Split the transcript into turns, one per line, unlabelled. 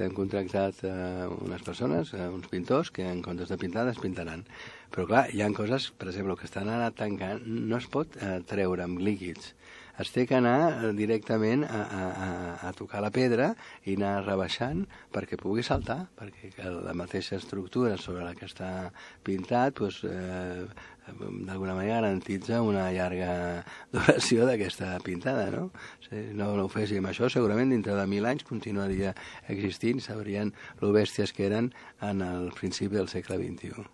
hem contractat unes persones, uns pintors, que en comptes de pintar despintaran. Però clar, hi ha coses, per exemple, que estan ara tancant, no es pot treure amb líquids. Es té que anar directament a tocar la pedra i anar rebaixant perquè pugui saltar, perquè la mateixa estructura sobre la que està pintat d'alguna manera garantitza una llarga duració d'aquesta pintada, no? Si no ho féssim això, segurament dintre de 1000 anys continuaria existint, sabrien lo bèsties que eren en el principi del segle XXI.